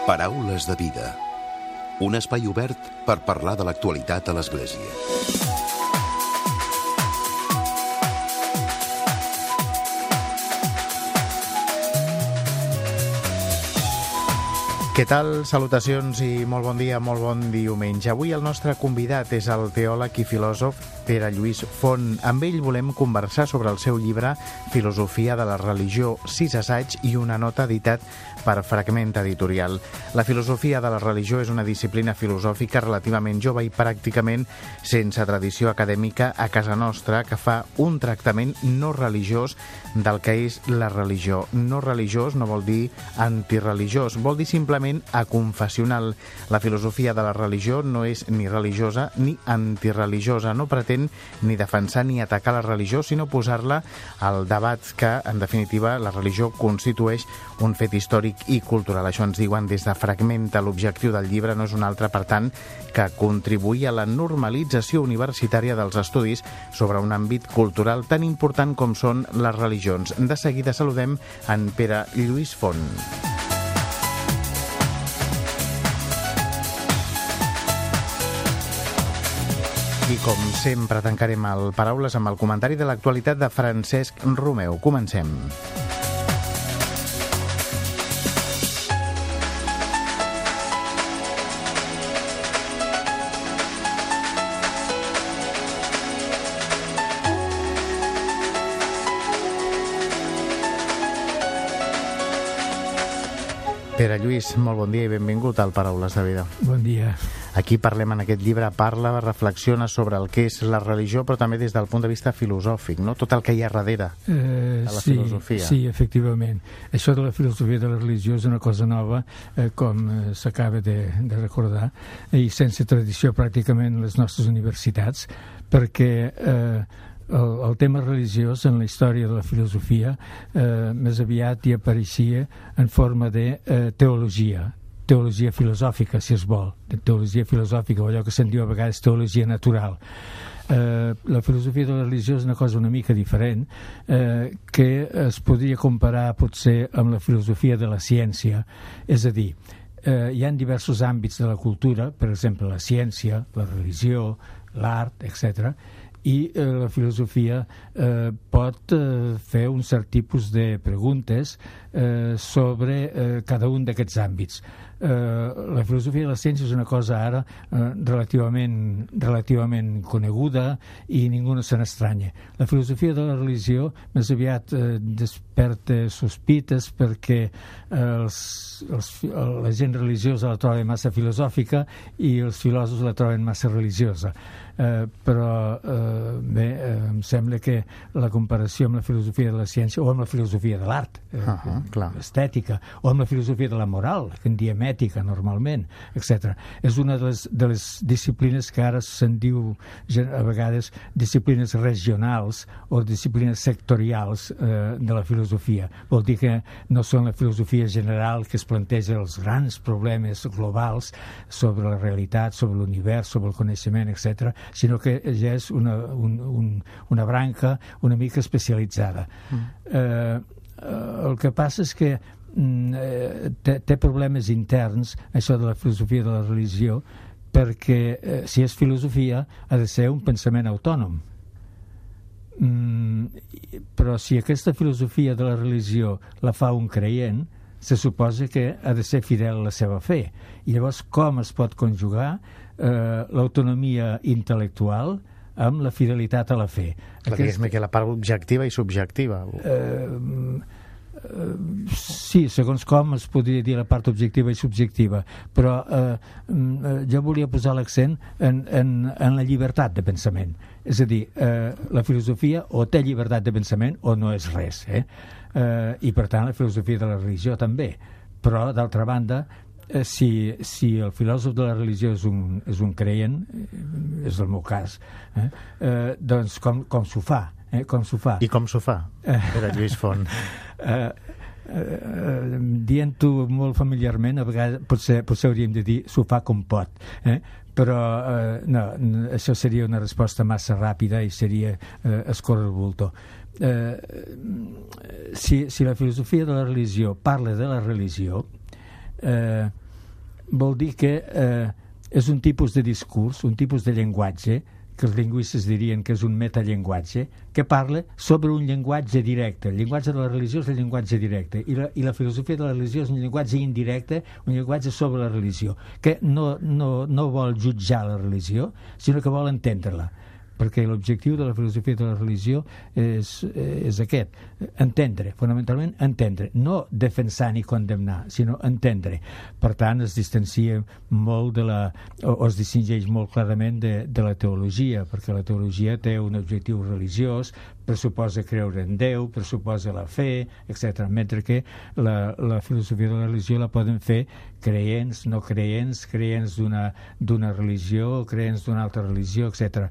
Paraules de vida. Un espai obert per parlar de l'actualitat a l'Església. Què tal? Salutacions i molt bon dia, molt bon diumenge. Avui el nostre convidat és el teòleg i filòsof Pere Lluís Font. Amb ell volem conversar sobre el seu llibre Filosofia de la religió, 6 assaigs i una nota editat per Fragment Editorial. La filosofia de la religió és una disciplina filosòfica relativament jove i pràcticament sense tradició acadèmica a casa nostra, que fa un tractament no religiós del que és la religió. No religiós no vol dir antireligiós, vol dir simplement aconfessional. La filosofia de la religió no és ni religiosa ni antireligiosa, no pretén ni defensar ni atacar la religió, sinó posar-la al debat que, en definitiva, la religió constitueix un fet històric i cultural. Això ens diuen des de Fragmenta. L'objectiu del llibre no és un altre, per tant, que contribuir a la normalització universitària dels estudis sobre un àmbit cultural tan important com són les religions. De seguida saludem en Pere Lluís Font. I com sempre tancarem el Paraules amb el comentari de l'actualitat de Francesc Romeu. Comencem. Pere Lluís, molt bon dia i benvingut al Paraules de Vida. Bon dia. Aquí parlem en aquest llibre, reflexiona sobre el que és la religió, però també des del punt de vista filosòfic, no? Tot el que hi ha darrere de la filosofia. Sí, efectivament. Això de la filosofia de la religió és una cosa nova, com s'acaba de recordar, i sense tradició pràcticament en les nostres universitats, perquè el tema religiós en la història de la filosofia més aviat hi apareixia en forma de teologia filosòfica, si es vol, de teologia filosòfica, o allò que se'n diu a vegades teologia natural. La filosofia de la religió és una cosa una mica diferent, que es podria comparar potser amb la filosofia de la ciència. És a dir, hi ha diversos àmbits de la cultura, per exemple la ciència, la religió, l'art, etc., i la filosofia pot fer un cert tipus de preguntes sobre cada un d'aquests àmbits. La filosofia de la ciència és una cosa ara relativament coneguda i ningú no se n'estranya. La filosofia de la religió més aviat desperta sospites perquè la gent religiosa la troba massa filosòfica i els filòsofs la troben massa religiosa. Però bé, em sembla que la comparació amb la filosofia de la ciència o amb la filosofia de l'art, l'estètica, o amb la filosofia de la moral, que en diem ètica normalment, etc., és una de les disciplines que ara se'n diu a vegades disciplines regionals o disciplines sectorials de la filosofia. Vol dir que no són la filosofia general que es planteja els grans problemes globals sobre la realitat, sobre l'univers, sobre el coneixement, etc., sinó que ja és una branca una mica especialitzada. El que passa és que té problemes interns, això de la filosofia de la religió, perquè si és filosofia ha de ser un pensament autònom. Però si aquesta filosofia de la religió la fa un creient, se suposa que ha de ser fidel a la seva fe. I llavors com es pot conjugar l'autonomia intel·lectual amb la fidelitat a la fe? Digues-me que la part objectiva i subjectiva. Sí, segons com es podria dir la part objectiva i subjectiva, però jo volia posar l'accent en la llibertat de pensament. És a dir, la filosofia o té llibertat de pensament o no és res, i per tant la filosofia de la religió també. Però d'altra banda, si el filòsof de la religió és un creient, és el meu cas, doncs com s'ho fa? Com s'ho fa? I com s'ho fa, Pere Lluís Font? Dient-ho molt familiarment, a vegades potser hauríem de dir s'ho fa com pot, però no, això seria una resposta massa ràpida i seria escórrer el bulto. Si la filosofia de la religió parla de la religió, vol dir que és un tipus de discurs, un tipus de llenguatge, que els lingüistes dirien que és un metallenguatge, que parla sobre un llenguatge directe. El llenguatge de la religió és el llenguatge directe, i la filosofia de la religió és un llenguatge indirecte, un llenguatge sobre la religió, que no vol jutjar la religió, sinó que vol entendre-la, perquè l'objectiu de la filosofia de la religió és aquest, entendre, fonamentalment entendre, no defensar ni condemnar, sinó entendre. Per tant, es distancia molt o es distingeix molt clarament de la teologia, perquè la teologia té un objectiu religiós, pressuposa creure en Déu, pressuposa la fe, etc. Mentre que la filosofia de la religió la poden fer creients, no creients, creients d'una religió, creients d'una altra religió, etc.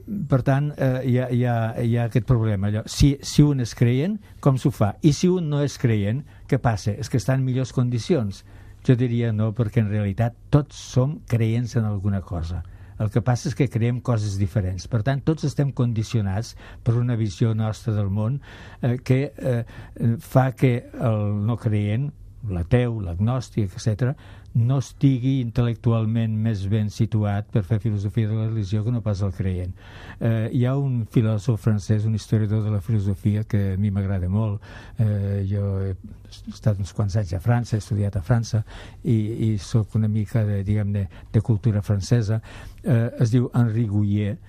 Per tant, hi ha aquest problema. Si un és creient, com s'ho fa? I si un no és creient, què passa? És que està en millors condicions? Jo diria no, perquè en realitat tots som creients en alguna cosa. El que passa és que creiem coses diferents. Per tant, tots estem condicionats per una visió nostra del món que fa que el no creient, l'ateu, l'agnòstic, etc., no estigui intel·lectualment més ben situat per fer filosofia de la religió que no pas el creient. Hi ha un filòsof francès, un historiador de la filosofia que a mi m'agrada molt. Jo he estat uns quants anys a França, he estudiat a França i soc una mica de cultura francesa. Es diu Henri Gouillet,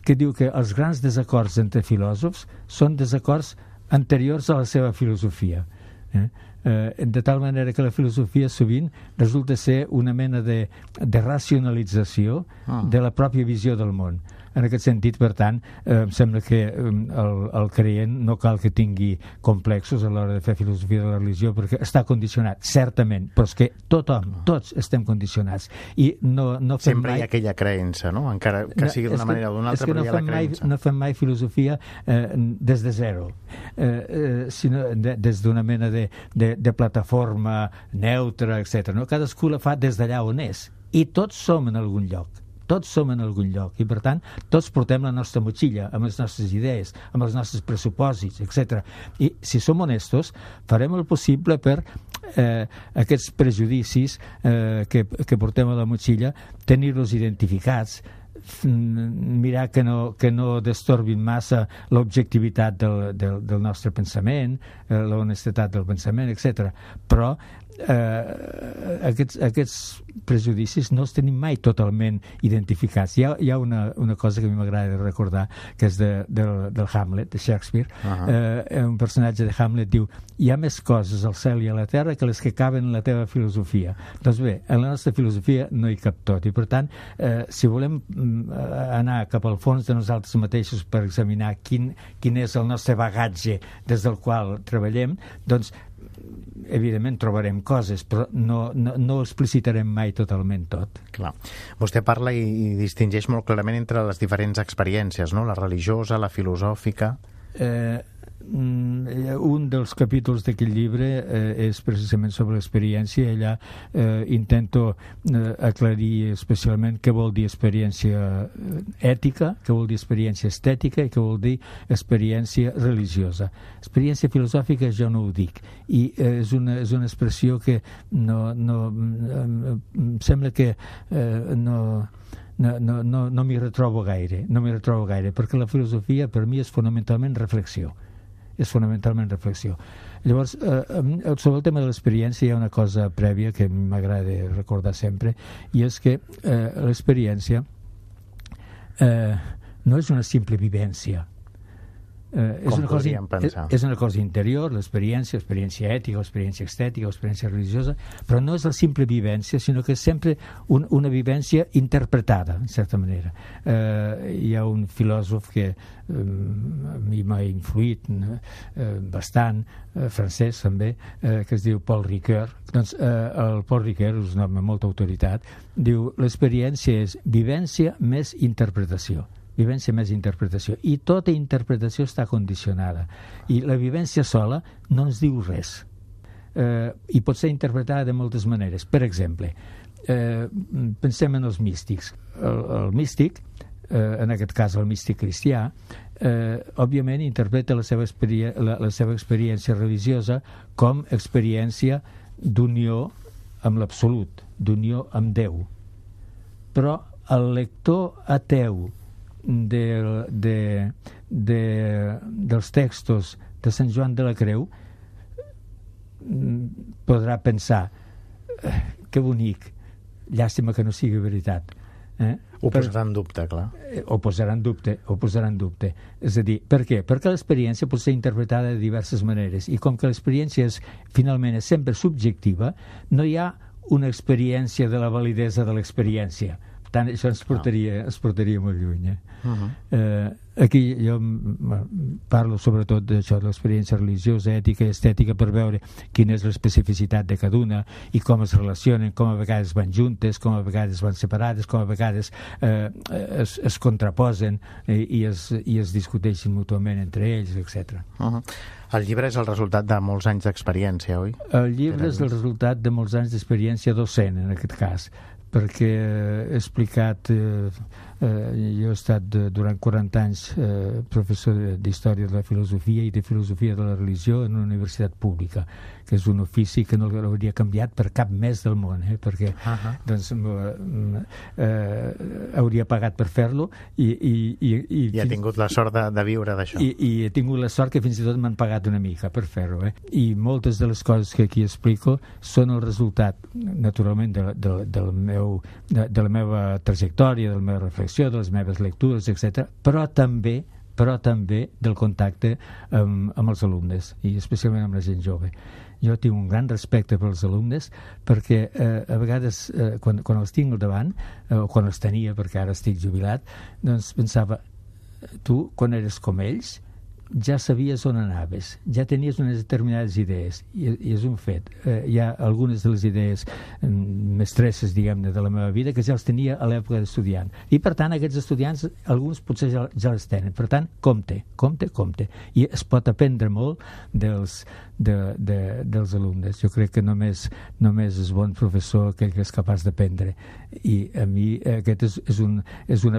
que diu que els grans desacords entre filòsofs són desacords anteriors a la seva filosofia. De tal manera que la filosofia sovint resulta ser una mena de racionalització de la pròpia visió del món. En aquest sentit, per tant, em sembla que el creient no cal que tingui complexos a l'hora de fer filosofia de la religió, perquè està condicionat, certament, però és que tots estem condicionats. I no fem sempre hi ha aquella creença, no? Encara que sigui d'una manera o d'una altra, però hi ha la creença. No fem mai filosofia des de zero, sinó des d'una mena de plataforma neutra, etc. No? Cadascú la fa des d'allà on és. I tots som en algun lloc. Tots som en algun lloc i, per tant, tots portem la nostra motxilla amb les nostres idees, amb els nostres pressupòsits, etc. I, si som honestos, farem el possible per aquests prejudicis que portem a la motxilla, tenir-los identificats, mirar que no destorbin massa l'objectivitat del nostre pensament, l'honestedat del pensament, etc. Però aquests prejudicis no els tenim mai totalment identificats. Hi ha una cosa que a mi m'agrada recordar, que és del Hamlet, de Shakespeare. Un personatge de Hamlet diu: hi ha més coses al cel i a la terra que les que caben en la teva filosofia. Doncs bé, en la nostra filosofia no hi cap tot, i per tant, si volem anar cap al fons de nosaltres mateixos per examinar quin és el nostre bagatge des del qual treballem, doncs evidentment trobarem coses, però no explicitarem mai totalment tot. Clar. Vostè parla i distingeix molt clarament entre les diferents experiències, no? La religiosa, la filosòfica. Un dels capítols d'aquest llibre és precisament sobre l'experiència. Allà intento aclarir especialment què vol dir experiència ètica, què vol dir experiència estètica i què vol dir experiència religiosa. Experiència filosòfica jo no ho dic, i és una expressió que em sembla que no m'hi retrobo gaire, perquè la filosofia per mi és fonamentalment reflexió. Llavors, sobre el tema de l'experiència hi ha una cosa prèvia que m'agrada recordar sempre, i és que l'experiència no és una simple vivència. És una cosa interior, l'experiència ètica, l'experiència estètica, l'experiència religiosa, però no és la simple vivència, sinó que és sempre una vivència interpretada, en certa manera. Hi ha un filòsof que a mi m'ha influït bastant, francès també, que es diu Paul Ricoeur. Doncs el Paul Ricoeur és un home amb molta autoritat, diu: l'experiència és vivència més interpretació. I tota interpretació està condicionada, i la vivència sola no ens diu res, i pot ser interpretada de moltes maneres. Per exemple, pensem en els místics. El místic, en aquest cas el místic cristià, òbviament interpreta la seva experiència religiosa com experiència d'unió amb l'absolut, d'unió amb Déu. Però el lector ateu dels textos de Sant Joan de la Creu podrà pensar que bonic, llàstima que no sigui veritat. Ho posarà en dubte, clar. Ho posarà en dubte. És a dir, per què? Perquè l'experiència pot ser interpretada de diverses maneres, i com que l'experiència finalment és sempre subjectiva, no hi ha una experiència de la validesa de l'experiència. Per tant, això ens portaria molt lluny. Aquí jo parlo sobretot d'això, de l'experiència religiosa, ètica i estètica, per veure quina és l'especificitat de cada una i com es relacionen, com a vegades van juntes, com a vegades van separades, com a vegades es contraposen i es discuteixen mútuament entre ells, etc. El llibre és el resultat de molts anys d'experiència, oi? El llibre és el resultat de molts anys d'experiència docent, en aquest cas, perquè he explicat, jo he estat durant 40 anys professor d'Història de la Filosofia i de Filosofia de la Religió en una universitat pública, que és un ofici que no l'hauria canviat per cap més del món, perquè doncs, hauria pagat per fer-lo i ha tingut la sort de viure d'això. I he tingut la sort que fins i tot m'han pagat una mica per fer-ho. I moltes de les coses que aquí explico són el resultat, naturalment, de la meva trajectòria, de la meva reflexió, de les meves lectures, etc., però també del contacte amb els alumnes, i especialment amb la gent jove. Jo tinc un gran respecte pels alumnes perquè a vegades quan els tinc al davant, o quan els tenia, perquè ara estic jubilat, doncs pensava, tu quan eres com ells ja sabies on anaves, ja tenies unes determinades idees, i és un fet. Hi ha algunes de les idees mestresses, diguem-ne, de la meva vida que ja els tenia a l'època d'estudiant, i per tant aquests estudiants, alguns potser ja les tenen. Per tant, compte, i es pot aprendre molt dels alumnes. Jo crec que només és bon professor aquell que és capaç d'aprendre, i a mi aquest és un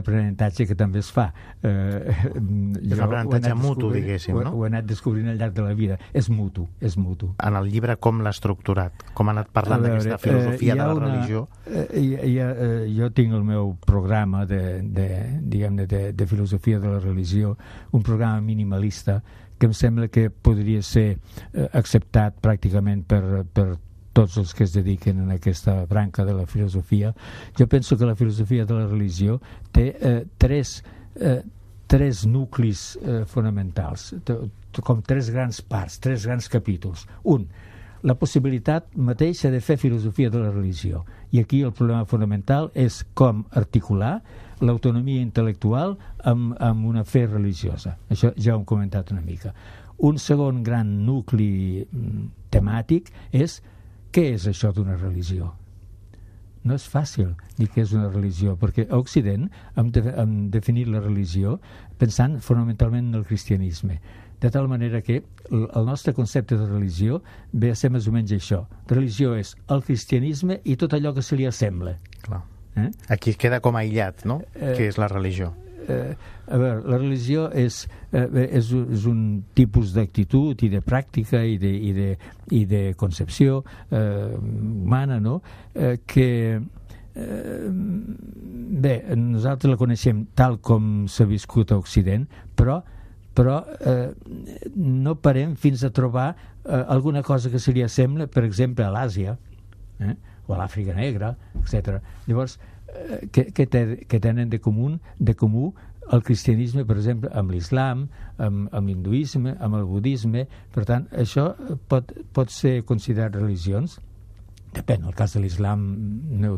aprenentatge que també es fa. És un aprenentatge mutu, diguéssim, no? Ho he anat descobrint al llarg de la vida. És mutu. En el llibre com l'ha estructurat? Com ha anat parlant d'aquesta filosofia de la religió? Jo tinc el meu programa de filosofia de la religió, un programa minimalista que em sembla que podria ser acceptat pràcticament per tots els que es dediquen a aquesta branca de la filosofia. Jo penso que la filosofia de la religió té tres nuclis fonamentals, com tres grans parts, tres grans capítols. Un, la possibilitat mateixa de fer filosofia de la religió. I aquí el problema fonamental és com articular l'autonomia intel·lectual amb una fe religiosa. Això ja ho hem comentat una mica. Un segon gran nucli temàtic és què és això d'una religió? No és fàcil dir què és una religió, perquè a Occident hem definit la religió pensant fonamentalment en el cristianisme, de tal manera que el nostre concepte de religió ve a ser més o menys això. Religió és el cristianisme i tot allò que se li assembla. Clar. Aquí queda com aïllat, no? Què és la religió? A veure, la religió és un tipus d'actitud i de pràctica i de concepció humana, no? Que bé, nosaltres la coneixem tal com s'ha viscut a Occident, però no parem fins a trobar alguna cosa que se li assembla, per exemple, a l'Àsia, o a l'Àfrica Negra, etc. Llavors, què tenen de comú el cristianisme, per exemple, amb l'islam, amb l'hinduisme, amb el budisme? Per tant, això pot ser considerat religions? Depèn, el cas de l'islam no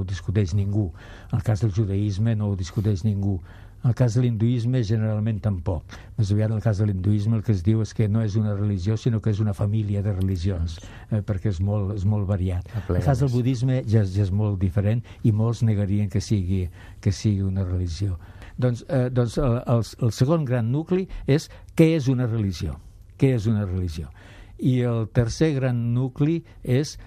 ho discuteix ningú, el cas del judaïsme no ho discuteix ningú, el cas de l'hinduisme generalment tampoc. Més aviat el cas de l'hinduisme el que es diu és que no és una religió sinó que és una família de religions, perquè és molt variat. El cas del budisme ja és molt diferent i molts negarien que sigui una religió. Doncs el segon gran nucli és què és una religió? Què és una religió? I el tercer gran nucli és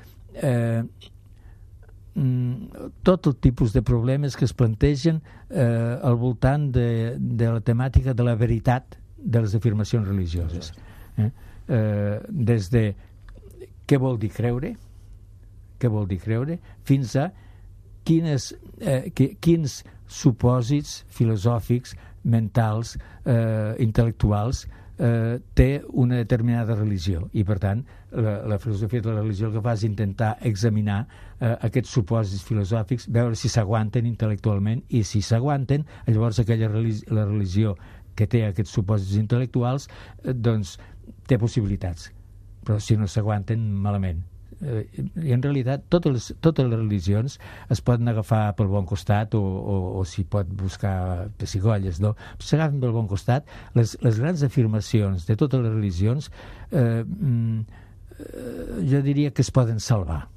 tot el tipus de problemes que es plantegen al voltant de la temàtica de la veritat de les afirmacions religioses. Des de què vol dir creure, fins a quins supòsits filosòfics, mentals, intel·lectuals té una determinada religió. I, per tant, la filosofia de la religió el que fa és intentar examinar aquests supòsits filosòfics, veure si s'aguanten intel·lectualment, i si s'aguanten, llavors la religió que té aquests supòsits intel·lectuals doncs té possibilitats. Però si no s'aguanten, malament. I en realitat totes les religions es poden agafar pel bon costat o s'hi pot buscar pessigolles, no? S'agafen pel bon costat. Les grans afirmacions de totes les religions jo diria que es poden salvar.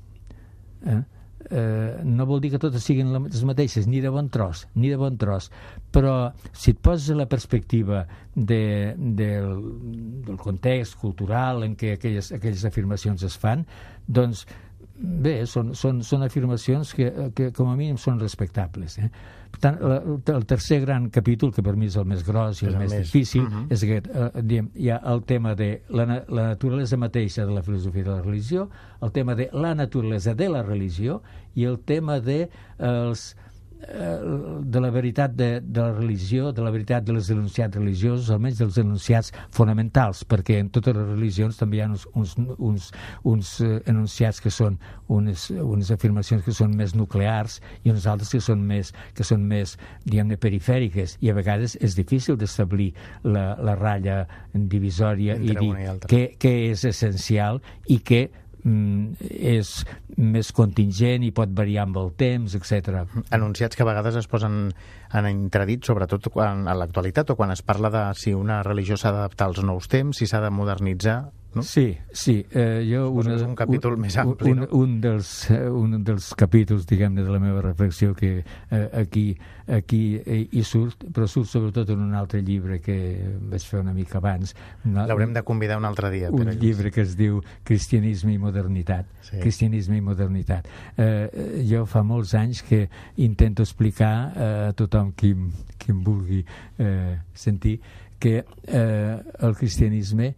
No vol dir que totes siguin les mateixes, ni de bon tros, però si et poses a la perspectiva del context cultural en què aquelles afirmacions es fan, doncs bé, són afirmacions que com a mínim són respectables. Per tant, el tercer gran capítol, que per mi és el més gros i el més difícil, és aquest. Hi ha el tema de la naturalesa mateixa de la filosofia de la religió, el tema de la naturalesa de la religió i el tema de la veritat de la religió, de la veritat dels enunciats religiosos, almenys dels enunciats fonamentals, perquè en totes les religions també hi ha uns enunciats que són unes afirmacions que són més nuclears i unes altres que són més diguem-ne, perifèriques, i a vegades és difícil d'establir la ratlla divisòria i dir què és essencial i què és més contingent i pot variar amb el temps, etc. Enunciats que a vegades es posen en entredit, sobretot a l'actualitat, o quan es parla de si una religió s'ha d'adaptar als nous temps, si s'ha de modernitzar, no? Sí. És un capítol més ampli, no? Un dels capítols, diguem-ne, de la meva reflexió que aquí hi surt, però surt sobretot en un altre llibre que vaig fer una mica abans. L'haurem de convidar un altre dia. Un llibre que es diu Cristianisme i modernitat. Sí. Cristianisme i modernitat. Jo fa molts anys que intento explicar a tothom qui em vulgui sentir que el cristianisme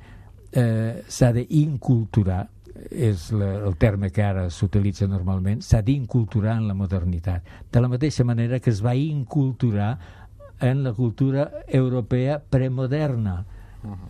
s'ha d'inculturar, és el terme que ara s'utilitza normalment, s'ha d'inculturar en la modernitat, de la mateixa manera que es va inculturar en la cultura europea premoderna.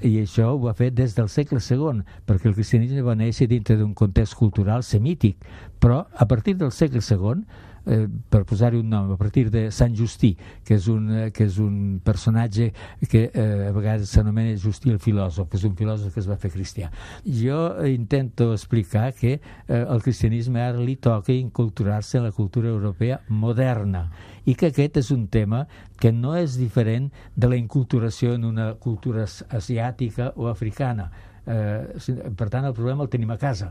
I això ho va fer des del segle II, perquè el cristianisme va néixer dintre d'un context cultural semític, però a partir del segle II, per posar-hi un nom, a partir de Sant Justí, que és un personatge que a vegades s'anomena Justí el filòsof, que és un filòsof que es va fer cristià. Jo intento explicar que al cristianisme ara li toca inculturar-se en la cultura europea moderna, i que aquest és un tema que no és diferent de la inculturació en una cultura asiàtica o africana. Per tant, el problema el tenim a casa.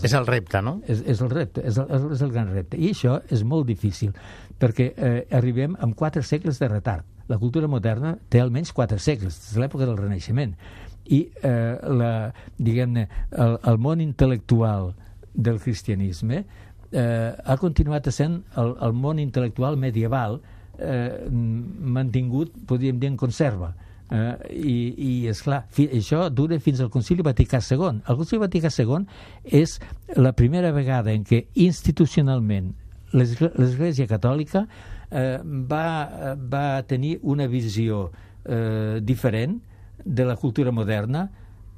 És el repte, no? És el repte, és el gran repte. I això és molt difícil, perquè arribem amb 4 segles de retard. La cultura moderna té almenys 4 segles, és l'època del Renaixement. I, diguem-ne, el món intel·lectual del cristianisme ha continuat essent el món intel·lectual medieval mantingut, podríem dir, en conserva. I esclar, això dura fins al Concili Vaticà II. El Concili Vaticà II és la primera vegada en què institucionalment l'Església Catòlica va tenir una visió diferent de la cultura moderna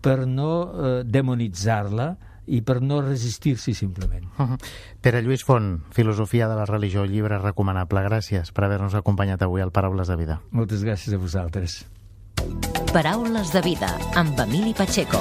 per no demonitzar-la i per no resistir-s'hi simplement. Pere Lluís Font, Filosofia de la religió, llibre recomanable. Gràcies per haver-nos acompanyat avui al Paraules de Vida. Moltes gràcies a vosaltres. Paraules de Vida, amb Emili Pacheco.